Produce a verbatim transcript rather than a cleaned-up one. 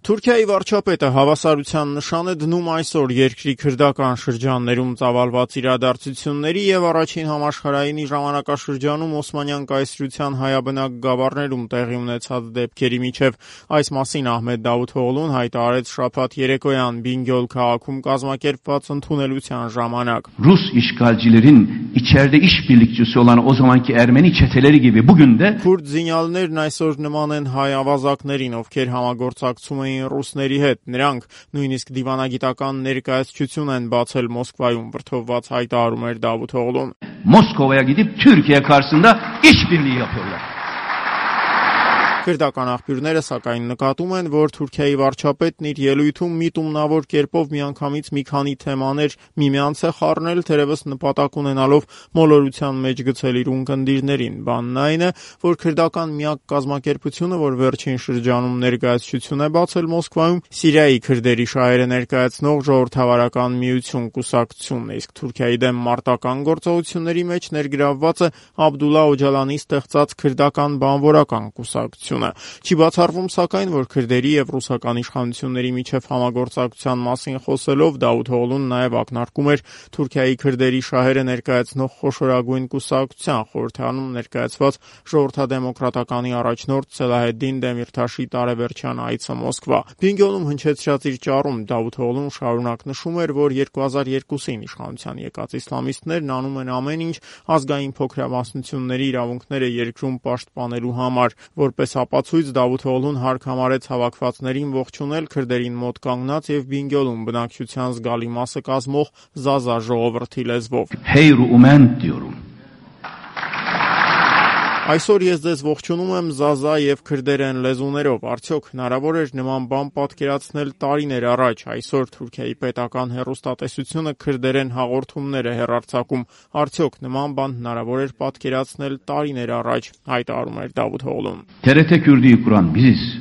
Թուրքիայի վարչապետը հավասարության նշան է դնում այսօր երկրի քրդական շրջաններում ծավալված իրադարձությունների և առաջին համաշխարհայինի ժամանակաշրջանում Օսմանյան կայսրության հայաբնակ գավառներում տեղի ունեցած դեպքերի միջև։ Այս մասին Ահմեդ Դավութօղլուն հայտարարեց շաբաթ երեկոյան Բինգյոլ քաղաքում կազմակերպված ընդունելության ժամանակ. Rus işgalcilerin içeride işbirlikçisi olan o zamanki Ermeni çeteleri gibi bugün de Քուրդ զինյալներն այսօր նման են հայ ավազակներին, ովքեր համագործակցում էին ռուսների հետ։ Նրանք նույնիսկ դիվանագիտական ներկայացություն են բացել Մոսկվայում, վրդովված հայտարարում էր Դավութօղլուն։ Moskova'ya gidip Türkiye karşısında işbirliği yapıyorlar. Քրդական աղբյուրները սակայն նկատում են, որ Թուրքիայի վարչապետն իր ելույթում միտումնավոր կերպով միանգամից մի քանի թեմաներ միմյանց է խառնել, թերևս նպատակ ունենալով մոլորության մեջ գցել իր ունկնդիրներին։ Բանն այն է, որ քրդական միակ կազմակերպությունը, որ վերջին շրջանում ներկայացություն է բացել Մոսկվայում, Սիրիայի քրդերի շահերը ներկայացնող ժողովրդավարական միություն կուսակցությունն է, իսկ Թուրքիայի դեմ մարտական գործողությունների մեջ ներգրավված է Աբդուլլա Օջալանի ստեղծած քրդական բանվորական կուսակցությունը։ Չի բացառվում սակայն, որ քրդերի և ռուսական իշխանությունների միջև համագործակցության մասին խոսելով Դավութօղլուն նաև ակնարկում էր Թուրքիայի քրդերի շահերը ներկայացնող խոշորագույն կուսակցության խորհրդարանում ներկայացված ժողովրդադեմոկրատականի առաջնորդ Սելահեդդին Դեմիրթաշի տարեվերջյան այցը Մոսկվա։ Բինգյոլում հնչեցրած իր ճառում Դավութօղլուն շարունակ նշում էր, որ երկու հազար երկուսին իշխանության եկած իսլամիստներն անում են ամեն ինչ ազգային փոքրամասնությունների իրավունքները երկրում պաշտպանելու համար, որպես ապացույց Դավութօղլուն հարկ համարեց հավաքվածներին ողջունել քրդերին մոտ կանգնած և Բինգյոլում բնակչության զգալի մասը կազմող Զազա ժողովրդի լեզվով. Heyru umen diyorum. Այսօր ես ձեզ ողջունում եմ Զազա և քրդերեն լեզուներով։ Արդյոք հնարավոր էր նման բան պատկերացնել տարիներ առաջ։ Այսօր Թուրքիայի պետական հեռուստատեսությունը քրդերեն հաղորդումներ է հեռարձակում։ Արդյոք նման բան հնարավոր էր պատկերացնել տարիներ առաջ, հայտարարում էր Դավութօղլուն։ T R T Kürdi'yi kuran biziz.